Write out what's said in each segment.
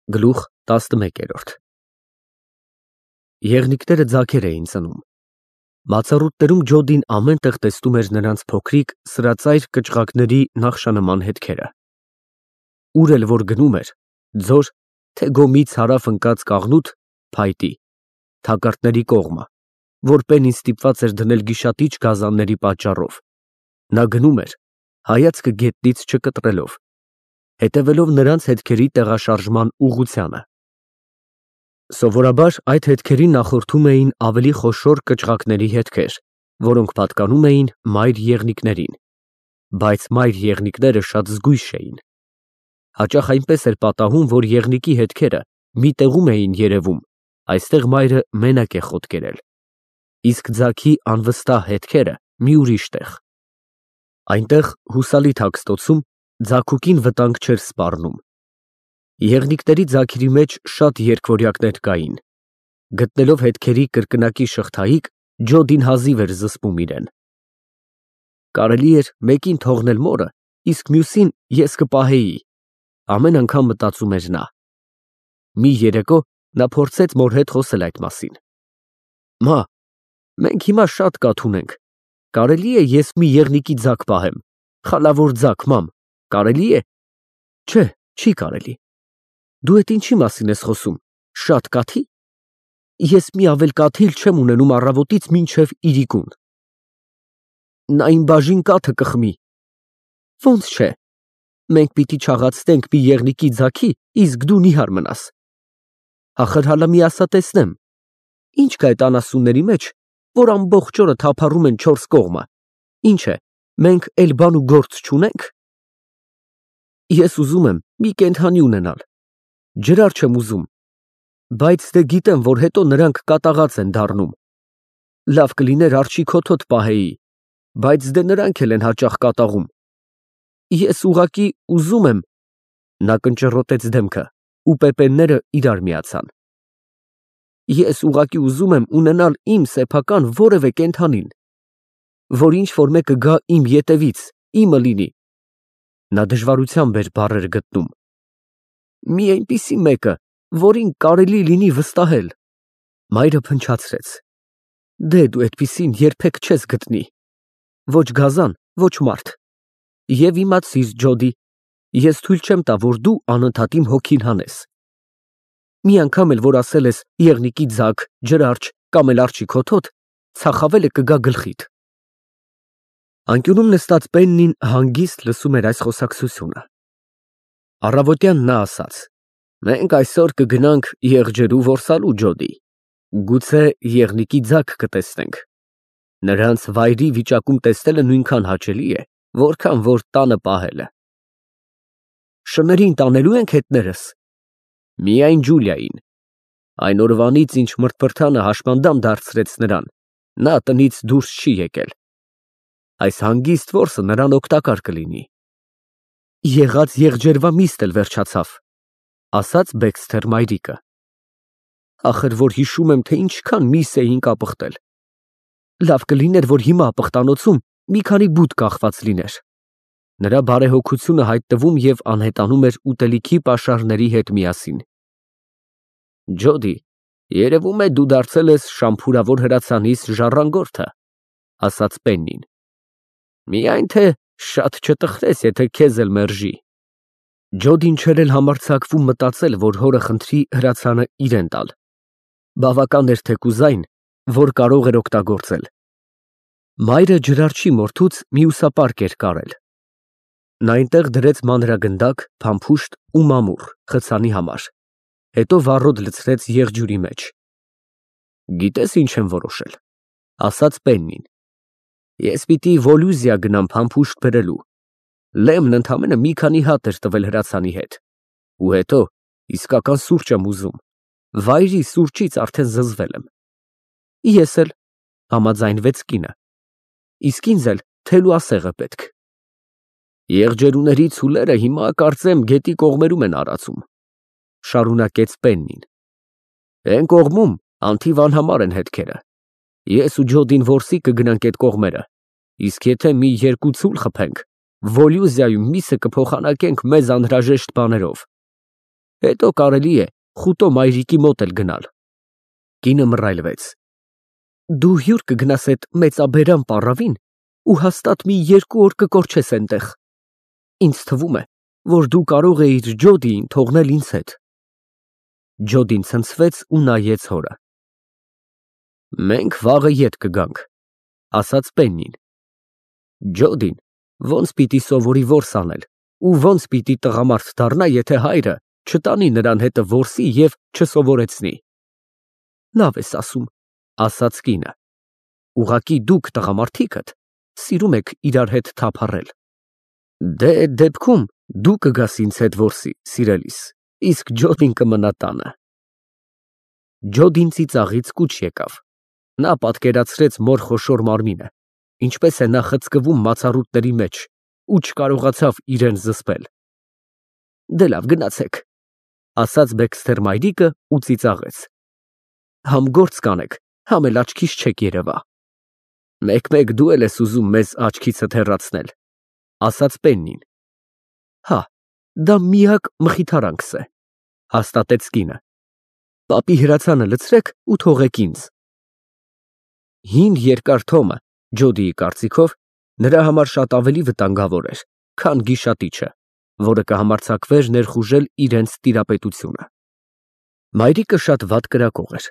Գլուխ 11 Եղնիկները ձագեր էին ծնում։ Բացառուտներում Ջոդին ամեն տեղ տեսնում էր նրանց փոքրիկ, սրածայր կճղակների նախշանման հետքերը։ Ուր էլ որ գնում էր, ձոր, թե գոմից հարավ ընկած կաղնուտ, փայտի, թակարդների կողմը, որ պենին ստիպված էր դնել գիշատիչ գազանների պատճառով, նա գնում էր, հայացքը գետնից չկտրելով, հետևելով նրանց հետքերի տեղաշարժման ուղղությանը։ Սովորաբար այդ հետքերին նախորդում էին ավելի խոշոր կճղակների հետքեր, որոնք պատկանում էին մայր եղնիկներին, բայց մայր եղնիկները շատ զգույշ էին։ Հաճախ այնպես էր պատահում, որ եղնիկի հետքերը մի տեղում էին երևում, այստեղ մայրը մենակ է խոտ կերել, իսկ ձագի անվստահ հետքերը մի ուրիշ տեղ։ Այնտեղ հուսալի թաքստոցում ձագուկին վտանգ չէր սպառնում։ Եղնիկների ձագերի մեջ շատ երկվորյակներ կային։ Գտնելով հետքերի կրկնակի շղթայիկ, Ջոդին հազիվ էր զսպում իրեն։ Կարելի էր մեկին թողնել մորը, իսկ մյուսին ես կպահեի, ամեն անգամ մտածում էր նա։ Մի երեկո նա փորձեց մոր հետ խոսել այդ մասին։ Մա, մենք հիմա շատ կաթ ունենք, կարելի է ես մի եղնիկի ձագ պահեմ, խալավոր ձագ, մամ, կարելի է։ Չէ, չի կարելի։ Դու էդ ինչի մասին ես խոսում, շատ կաթի։ Ես մի ավել կաթիլ չեմ ունենում առավոտից մինչև իրիկուն։ Նա իմ բաժին կաթը կխմի։ Ոնց չէ։ Մենք պիտի չաղացնենք մի եղնիկի ձագի, իսկ դու նիհար մնաս։ Ախր հալա մի ասա տեսնեմ, ինչ կա այդ անասունների մեջ, որ ամբողջ օրը թափառում են չորս կողմը։ Ինչ է, մենք էլ բան ու գործ չունենք։ Ես ուզում եմ մի կենդանի ունենալ, ջրար չեմ ուզում, բայց դե գիտեմ, որ հետո նրանք կատաղած են դառնում։ Լավ կլիներ արջի քոթոտ պահեի, բայց դե նրանք էլ են հաճախ կատաղում։ Ես ուղակի ուզում եմ։ Նա կնճռոտեց դեմքը, ու պեպենները իրար միացան։ Ես ուղակի ուզում եմ ունենալ իմ սեփական որևէ կենդանին, որ ինչ որ մեկը գա իմ ետևից, իմը լինի։ Նա դժվարությամբ էր բառեր գտնում։ Մի այնպիսի մեկը, որին կարելի լինի վստահել։ Մայրը փնչացրեց։ Դե դու այդպիսին երբեք չես գտնի։ Ոչ գազան, ոչ մարդ։ Եվ իմացիր, Ջոդի, ես թույլ չեմ տա, որ դու անընդհատ իմ հոգին հանես։ Մի անգամ էլ որ ասել ես եղնիկի ձագ, ջրարջ կամ էլ արջի քոթոտ, ցախավելը կգա գլխիդ։ Անկյունում նստած Պեննին հանգիստ լսում էր այս խոսակցությունը։ Առավոտյան նա ասաց. Մենք այսօր կգնանք եղջերու որսալու, Ջոդի։ Գուցե եղնիկի ձագ կտեսնենք։ Նրանց վայրի վիճակում տեսնելը նույնքան հաճելի է, որքան որ տանը պահելը։ Շներին տանելու ենք հետներս։ Միայն Ջուլիային։ Այն օրվանից, ինչ մրթպրթանը հաշմանդամ դարձրեց նրան, նա տնից դուրս չի եկել։ Այս հանգիստ որսը նրան օգտակար կլինի։ Եղած եղջերվա միստ էլ վերջացավ, ասաց Բեքսթեր մայրիկը։ Ախր որ հիշում եմ, թե ինչքան միս էին կապղտել։ Լավ կլիներ, որ հիմա ապղտանոցում մի քանի բուտ կախված լիներ։ Նրա բարեհոգությունը հայտնվում և անհետանում էր ուտելիքի պաշարների հետ միասին։ Ջոդի, երևում է դու դարձել ես շամփուրավոր հրացանիս ժառանգորդը, ասաց Պեննին։ Միայն թե շատ չտխրես, եթե քեզ էլ մերժի։ Ջոդին չէր էլ համարձակվում մտածել, որ հորը խնդրի հրացանը իրեն տալ։ Բավական էր թեկուզայն, որ կարող էր օգտագործել։ Մայրը ջրարջի մորթուց մյուսապարկ էր կարել։ Նա այնտեղ դրեց մանրագնդակ, փամփուշտ ու մամուռ խցանի համար, հետո վառոդ լցրեց եղջյուրի մեջ։ Գիտես ինչ եմ որոշել, ասաց Պեննին։ Ես պիտի Վոլյուզիա գնամ փամփուշտ բերելու։ Լեմն ընդամենը մի քանի հատ էր տվել հրացանի հետ։ Ու հետո իսկական սուրճ եմ ուզում։ Վայրի սուրճից արդեն զզվել եմ։ Ես էլ, համաձայնվեց կինը։ Իսկ ինձ էլ թելուասեղը պետք։ Եղջերուների ցուլերը հիմա կարծեմ գետի կողմերում են արածում, շարունակեց Պեննին։ Էն կողմում անթիվ անհամար են հետքերը։ Ես ու Ջոդին որսի կգնանք այդ կողմերը, իսկ եթե մի երկու ցուլ խփենք, Վոլյուզիայում միսը կփոխանակենք մեզ անհրաժեշտ բաներով։ հետո կարելի է խուտո մայրիկի մոտ էլ գնալ։ Կինը մռայլվեց։ Դու հյուր կգնաս այդ մեծաբերան պառավին ու հաստատ մի 2 օր կկորչես այնտեղ։ Ինձ թվում է, որ դու կարող էիր Ջոդիին թողնել ինձ հետ։ Ջոդին ցնցվեց ու նայեց հորը։ Մենք վաղը ետ կգանք, ասաց Պեննին։ Ջոդին ոնց պիտի սովորի որս անել ու ոնց պիտի տղամարդ դառնա, եթե հայրը չտանի նրան հետը որսի և չսովորեցնի։ Լավ ես ասում, ասաց կինը։ Ուղղակի դուք տղամարդիկդ սիրում եք իրար հետ թափառել։ Դե այդ դեպքում դու կգաս ինձ հետ որսի, սիրելիս, իսկ Ջոդին կմնա տանը։ Ջոդին ծիծաղից կուչ եկավ։ Նա պատկերացրեց մոր խոշոր մարմինը, ինչպես է նա խցկվում մացառուտների մեջ ու չկարողացավ իրեն զսպել։ Դե լավ, գնացեք, ասաց Բեքսթեր մայրիկը ու ծիծաղեց։ Համ գործ կանեք, համ էլ աչքիս չեք երևա։ Մեկ-մեկ դու էլ ես ուզում մեզ աչքիցդ հեռացնել, ասաց Պեննին։ Հա, դա միակ մխիթարանքս է, հաստատեց կինը։ Պապի հրացանը լցրեք ու թողեք ինձ։ Հին երկար թոմը, Ջոդիի կարծիքով, նրա համար շատ ավելի վտանգավոր էր, քան գիշատիչը, որը կհամարձակվեր ներխուժել իրենց տիրապետությունը։ Մայրիկը շատ վատ կրակող էր,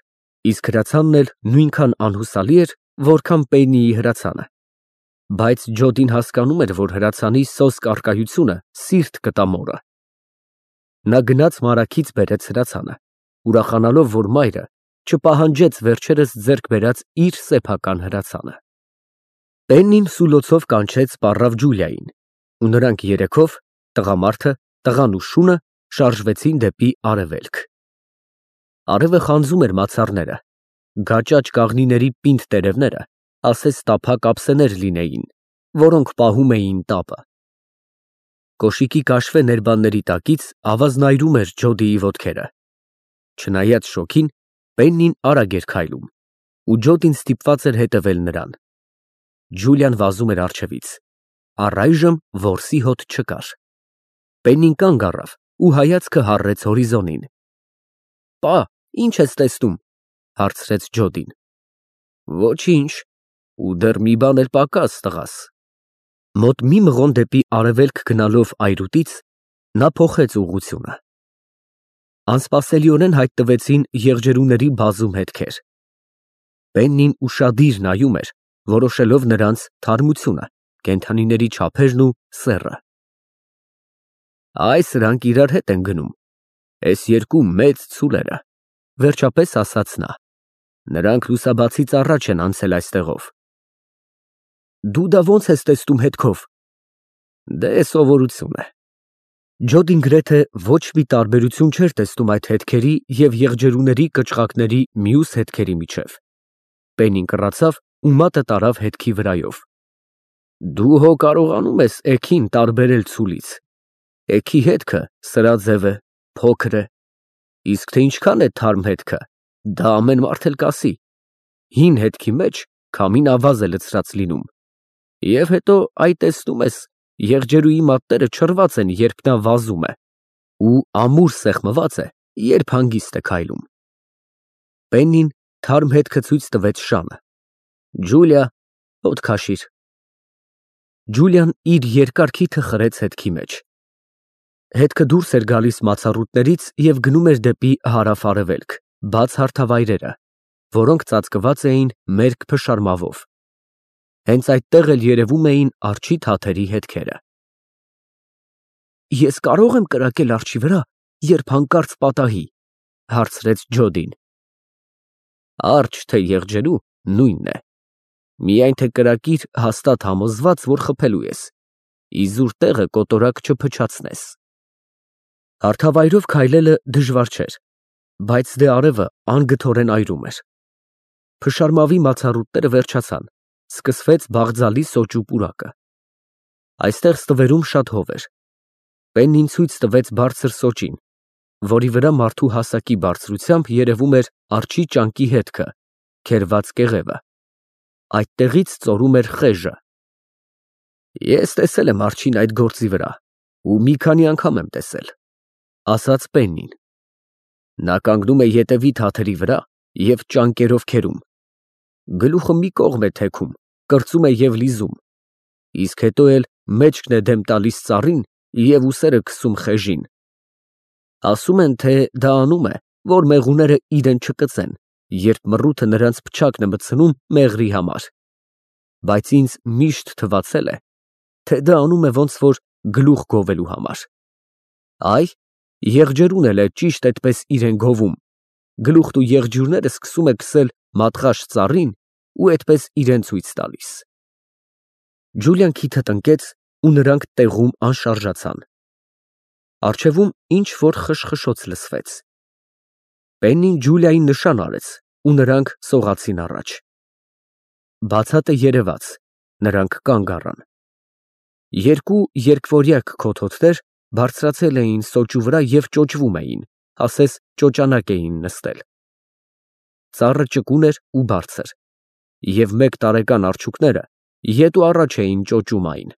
իսկ հրացանն էլ նույնքան անհուսալի էր, որքան Պեննիի հրացանը։ Բայց Ջոդին հասկանում էր, որ հրացանի սոսկ առկայությունը սիրտ կտա մորը։ Նա գնաց մարաքից բերեց հրացանը, ուրախանալով, որ մայրը չպահանջեց վերջերս ձեռք բերած իր սեփական հրացանը։ Պեննին սուլոցով կանչեց պառավ Ջուլիային, ու նրանք երեքով, տղամարդը, տղան ու շունը, շարժվեցին դեպի արևելք։ Արևը խանձում էր մացառները, գաճաճ կաղնիների պինդ տերևները ասես տափակ ափսեներ լինեին, որոնք պահում էին տապը։ Կոշիկի կաշվե ներբանների տակից ավազնայրում էր Ջոդիի ոտքերը։ Չնայած շոգին, Պեննին արագ էր քայլում, ու Ջոդին ստիպված էր հետևել նրան։ Ջուլիան վազում էր առջևից։ Առայժմ որսի հոտ չկար։ Պեննին կանգ առավ ու հայացքը հառեց հորիզոնին։ Պա, ի՞նչ ես տեսնում, հարցրեց Ջոդին։ Ոչինչ, ու դեռ մի բան էլ պակաս, տղաս։ Մոտ մի մղոն դեպի արևելք գնալով այրուտից նա փոխեց ուղղությունը։ Անսպասելիորեն հայտնվեցին եղջերուների բազում հետքեր։ Պեննին ուշադիր նայում էր, որոշելով նրանց թարմությունը, կենդանիների չափերն ու սեռը։ Այ սրանք իրար հետ են գնում, էս երկու մեծ ցուլերը, վերջապես ասաց նա։ Նրանք լուսաբացից առաջ են անցել այստեղով։ Դու դա ո՞նց ես տեսնում հետքով։ Դե սովորություն է։ Ջոդին գրեթե ոչ մի տարբերություն չէր տեսնում այդ հետքերի և եղջերուների կչղակների մյուս հետքերի միջև։ Պեննին կռացավ ու մատը տարավ հետքի վրայով։ Դու հո կարողանում ես էգին տարբերել ցուլից։ Էգի հետքը սրաձև է, փոքր է, իսկ թե ինչքան է թարմ հետքը, դա ամեն մարդ էլ կասի։ Հին հետքի մեջ քամին ավազ է լցրած լինում։ Եվ հետո, այ տեսնում ես, եղջերուի մատները չռված են, երբ նա վազում է, ու ամուր սեղմված է, երբ հանգիստ է քայլում։ Պեննին թարմ հետքը ցույց տվեց Շանը։ Ջուլիա, հոտ քաշիր։ Ջուլիան իր երկար քիթը խրեց հետքի մեջ։ Հետքը դուրս էր գալիս մացառուտներից և գնում էր դեպի հարավ-արևելք, բաց հարթավայրերը, որոնք ծածկված էին մերկ փշարմավով։ Հենց այդտեղ էլ երևում էին արջի թաթերի հետքերը։ Ես կարո՞ղ եմ կրակել արջի վրա, երբ հանկարծ պատահի, հարցրեց Ջոդին։ Արջ թե եղջերու նույնն է։ Միայն թե կրակիր հաստատ համոզված, որ խփելու ես, իզուր տեղը կոտորակ չփչացնես։ Հարթավայրով քայլելը դժվար չէր, բայց դե արևը անգթորեն այրում էր։ Փշարմավի մացառուտները վերջացան, սկսվեց Բաղձալի սոճու պուրակը։ Այստեղ ստվերում շատ հով էր։ Պեննին ցույց տվեց բարձր սոճին, որի վրա մարդու հասակի բարձրությամբ երևում էր արջի ճանկի հետքը, քերված կեղևը։ Այդտեղից ծորում էր խեժը։ Ես տեսել եմ արջին այդ գործի վրա, ու մի քանի անգամ եմ տեսել, ասաց Պեննին։ Նա կանգնում է ետևի թաթերի վրա և ճանկերով քերում։ Գլուխը մի կողմ է թեքում, կրծում է և լիզում, իսկ հետո էլ մեջքն է դեմ տալիս ծառին և ուսերը քսում խեժին։ Ասում են, թե դա անում է, որ մեղուները իրեն չկծեն, երբ մռութը նրանց փչակն է մտցնում մեղրի համար, բայց ինձ միշտ թվացել է, թե դա անում է ոնց որ գլուխ գովելու համար։ Այ, եղջերուն էլ է ճիշտ այդպես իրեն գովում, գլուխն ու եղջյուրները սկսում է քսել մատղաշ ծառին ու այդպես իրեն ցույց տալիս։ Ջուլիան քիթը տնկեց ու նրանք տեղում անշարժացան։ Առջևում ինչ-որ խշխշոց լսվեց։ Պեննին Ջուլիային նշան արեց ու նրանք սողացին առաջ։ Բացատը երևաց, նրանք կանգ առան։ Երկու երկվորյակ քոթոթներ բարձրացել էին սոճու վրա և ճոճվում էին, ասես ճոճանակ էին նստել։ Ծառը ճկուն էր ու բարձր, և 1 տարեկան արջուկները ետ ու առաջ էին ճոճում այն։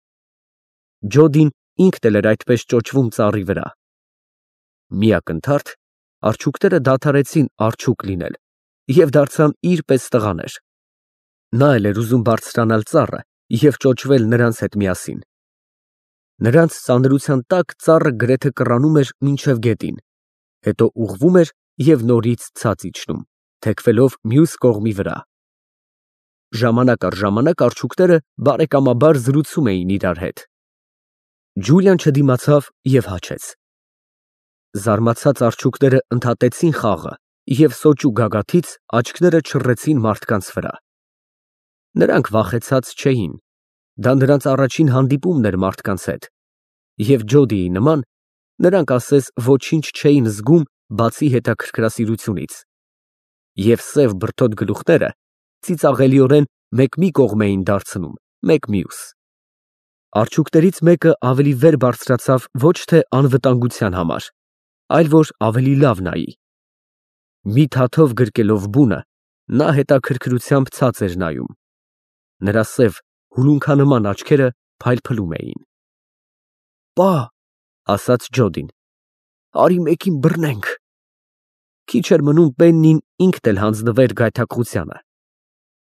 Ջոդին ինքն էլ էր այդպես ճոճվում ծառի վրա։ Մի ակնթարթ արջուկները դադարեցին արջուկ լինել և դարձան իր պես տղաներ։ Նա էլ էր ուզում բարձրանալ ծառը և ճոճվել նրանց հետ միասին։ Նրանց ծանրության տակ ծառը գրեթե կռանում էր մինչև գետին, հետո ուղղվում էր և նորից ցած իջնում, թեքվելով մյուս կողմի վրա։ Ժամանակ առ ժամանակ արջուկները բարեկամաբար զրուցում էին իրար հետ։ Ջուլիան չդիմացավ և հաչեց։ Զարմացած արջուկները ընդհատեցին խաղը և սոճու գագաթից աչքները չռեցին մարդկանց վրա։ Նրանք վախեցած չէին, դա նրանց առաջին հանդիպումն էր մարդկանց հետ, և Ջոդիի նման, նրանք ասես ոչինչ չէին զգում, բացի հետաքրքրասիրությունից, և սև բրդոտ գլուխները ծիծաղելիորեն մեկ մի կողմ էին դարձնում, մեկ մյուս։ Արջուկներից մեկը ավելի վեր բարձրացավ ոչ թե անվտանգության համար, այլ որ ավելի լավ նայի։ Մի թաթով գրկելով բունը, նա հետաքրքրությամբ ցած էր նայում։ Նրա սև հուլունքանման աչքերը փայլփլում էին։ «Պա», ասաց Ջոդին, «արի մեկին բռնենք»։ Քիչ էր մնում Պեննին ինքն էլ հանձնվեր գայթակղությանը։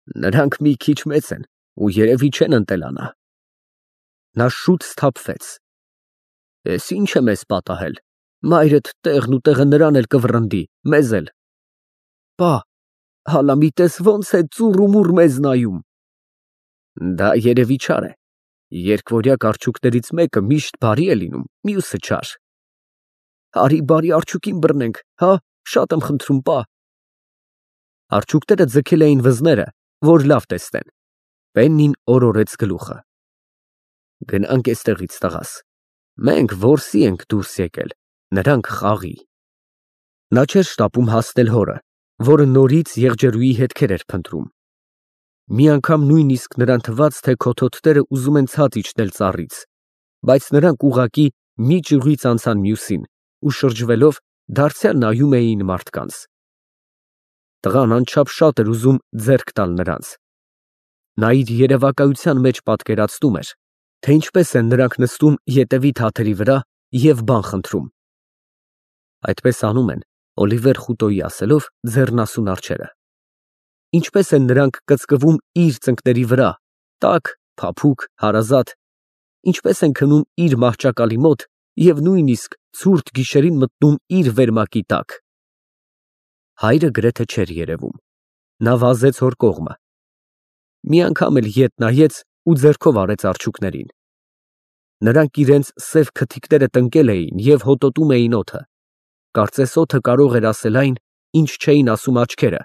Նրանք մի քիչ մեծ են ու երևի չեն ընտելանա։ Նա շուտ սթափվեց։ Էս ի՞նչ է մեզ պատահել, մայրդ տեղն ու տեղը նրան էլ կվռնդի, մեզ էլ։ Պա, հալա մի տես ոնց է ծուռ ու մուռ մեզ նայում։ Դա երևի չար է, երկվորյակ արջուկներից մեկը միշտ բարի է լինում, մյուսը չար։ Արի բարի արջուկին բռնենք, հա, շատ եմ խնդրում, պա։ Արջուկները ձգել էին վզները, որ լավ տեսնեն։ Պեննին օրորեց գլուխը։ Գնանք էստեղից, տղաս, մենք որսի ենք դուրս եկել, նրանք խաղի։ Նա չէր շտապում հասնել հորը, որը նորից եղջերուի հետքեր էր փնտրում։ Մի անգամ նույնիսկ նրան թվաց, թե քոթոթները ուզում են ցած իջնել ծառից, բայց նրանք ուղղակի մի ճյուղից անցան մյուսին ու շրջվելով դարձյալ նայում էին մարդկանց։ Տղան անչափ շատ էր ուզում ձեռք տալ նրանց։ Նա իր երևակայության մեջ պատկերացնում էր, թե ինչպես են նրանք նստում ետևի թաթերի վրա և բան խնդրում։ Այդպես անում են, Օլիվեր Խուտոյի ասելով, ձեռնասուն արջերը։ Ինչպես են նրանք կծկվում իր ծնկների վրա, տաք, փափուկ, հարազատ, ինչպես են քնում իր մահճակալի մոտ և նույնիսկ ցուրտ գիշերին մտնում իր վերմակի տակ։ Հայրը գրեթե չէր երևում։ Նա վազեց հոր կողմը։ Մի անգամ էլ ետ նայեց ու ձեռքով արեց արջուկներին։ Նրանք իրենց սև քթիկները տնկել էին և հոտոտում էին օդը։ Կարծես օդը կարող էր ասել այն, ինչ չէին ասում աչքերը,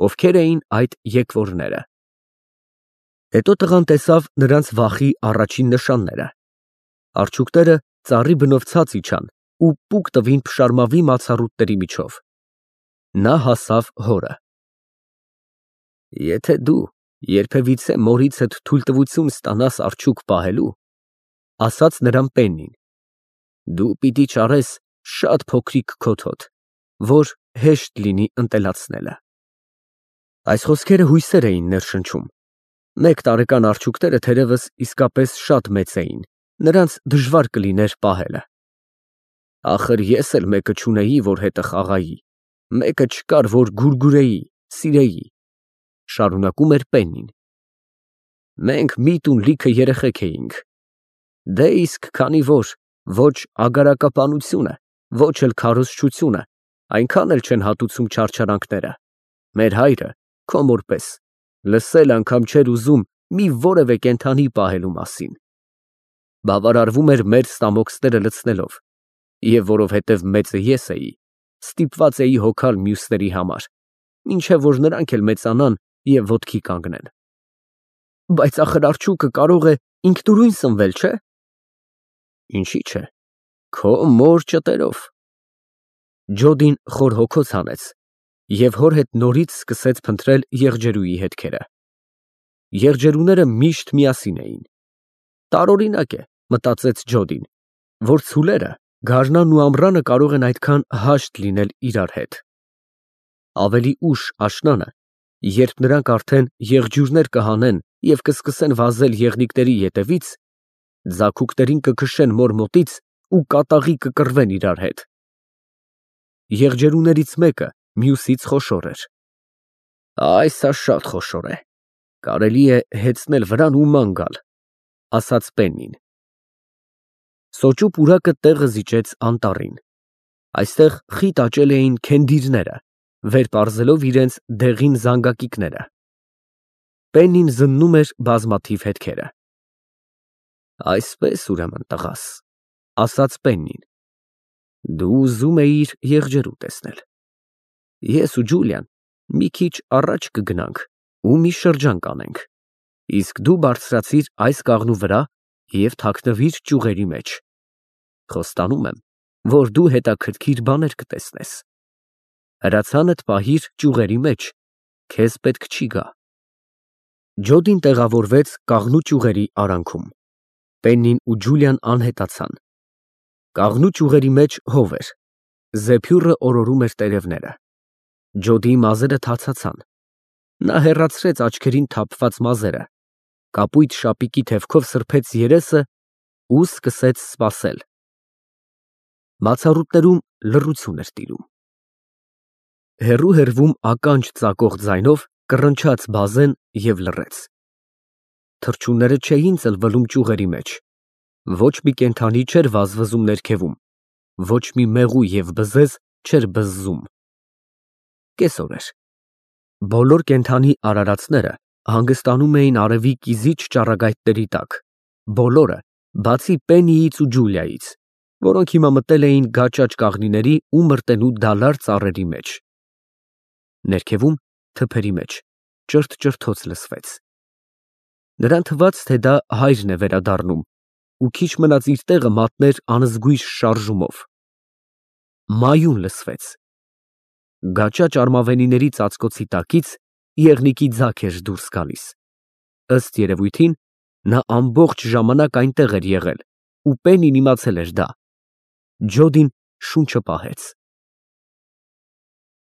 ովքեր էին այդ եկվորները։ Հետո տղան տեսավ նրանց վախի առաջին նշանները։ Արջուկները ծառի բնով ցած իջան ու պուկ տվին փշարմավի մացառուտների միջով։ Նա հասավ հորը։ Եթե դու երբևիցե մորիցդ թույլտվություն ստանաս արջուկ պահելու, ասաց նրան Պեննին, դու պիտի ճարես շատ փոքրիկ քոթոթ, որ հեշտ լինի ընտելացնելը։ Այս խոսքերը հույսեր էին ներշնչում։ 1 տարեկան արջուկները թերևս իսկապես շատ մեծ էին, նրանց դժվար կլիներ պահելը։ Ախր ես էլ մեկը չունեի, որ հետը խաղայի, Մեկը չկար, որ գուրգուրեի, սիրեի, շարունակում էր Պեննին։ Մենք մի տուն լիքը երեխեք էինք։ Դե իսկ քանի որ ոչ ագարակապանությունը, ոչ էլ քարոզչությունը այնքան էլ չեն հատուցում չարչարանքները, մեր հայրը, քո մորպես, լսել անգամ չէր ուզում մի որևէ կենդանի պահելու մասին։ Բավարարվում էր մեր ստամոքսները լցնելով, և որովհետև մեծը ես էի, ստիպված էի հոգալ մյուսների համար, մինչև որ նրանք էլ մեծանան և ոտքի կանգնեն։ Բայց ախր արջուկը կարող է ինքնուրույն սնվել, չէ՞։ Ինչի՞ չէ, քո մոր ճտերով։ Ջոդին խոր հոգոց հանեց և հոր հետ նորից սկսեց փնտրել եղջերուի հետքերը։ Եղջերուները միշտ միասին էին։ Տարօրինակ է, մտածեց Ջոդին, որ ցուլերը, գարնանն ու ամռանը կարող են այդքան հաշտ լինել իրար հետ։ Ավելի ուշ աշնանը, երբ նրանք արդեն եղջյուրներ կհանեն և կսկսեն վազել եղնիկների ետևից, ձագուկներին կքշեն մոր մոտից ու կատաղի կկռվեն իրար հետ։ Եղջերուներից մեկը մյուսից խոշոր էր։ Այս շատ խոշոր է, կարելի է հեծնել վրան ու ման գալ, ասաց Պեննին։ Սոճու պուրակը տեղը զիջեց անտառին։ Այստեղ խիտ աճել էին քենդիրները, վեր պարզելով իրենց դեղին զանգակիկները։ Պեննին զննում էր բազմաթիվ հետքերը։ Այսպես ուրեմն, տղաս, ասաց Պեննին, դու ուզում էիր եղջերու տեսնել։ Ես ու Ջուլիան մի քիչ առաջ կգնանք ու մի շրջան կանենք, իսկ դու բարձրացիր այս կաղնու վրա և թաքնվիր ճյուղերի մեջ։ Խոստանում եմ, որ դու հետաքրքիր բաներ կտեսնես։ Հրացանդ պահիր ճյուղերի մեջ, քեզ պետք չի գա։ Ջոդին տեղավորվեց կաղնու ճյուղերի արանքում։ Պեննին ու Ջուլիան անհետացան։ Կաղնու ճյուղերի մեջ հով էր, զեփյուռը օրորում էր տերևները։ Ջոդիի մազերը թացացան։ Նա հեռացրեց աչքերին թափված մազերը, կապույտ շապիկի թևքով սրբեց երեսը ու սկսեց սպասել։ Բացառութներում լռություն էր տիրում։ Հեռու ականջ ծակող ձայնով կռնչաց բազեն և լռեց։ Թռչունները չէին ծլվելում ճյուղերի մեջ, ոչ մի կենդանի չէր վազվզում ներքևում, ոչ մի մեղու և բզեզ չէր բզզում։ Կեսօր էր։ Բոլոր կենդանի արարածները հանգստանում էին արևի կիզիչ ճառագայթների տակ, բոլորը, բացի Պեննիից ու Ջուլիայից, որոնք հիմա մտել էին գաճաճ կաղնիների ու մրտենու դալար ծառերի մեջ։ Ներքևում, թփերի մեջ, ճրթ֊ճրթոց լսվեց։ Նրան թվաց, թե դա հայրն է վերադառնում ու քիչ մնաց իր տեղը մատներ անզգույշ շարժումով։ Մայուն լսվեց։ Գաճաճ արմավենիների ծածկոցի տակից եղնիկի ձագ էր դուրս գալիս։ Ըստ երևույթին, նա ամբողջ ժամանակ այնտեղ էր եղել ու Պեննին իմացել էր դա։ Ջոդին շունչը պահեց։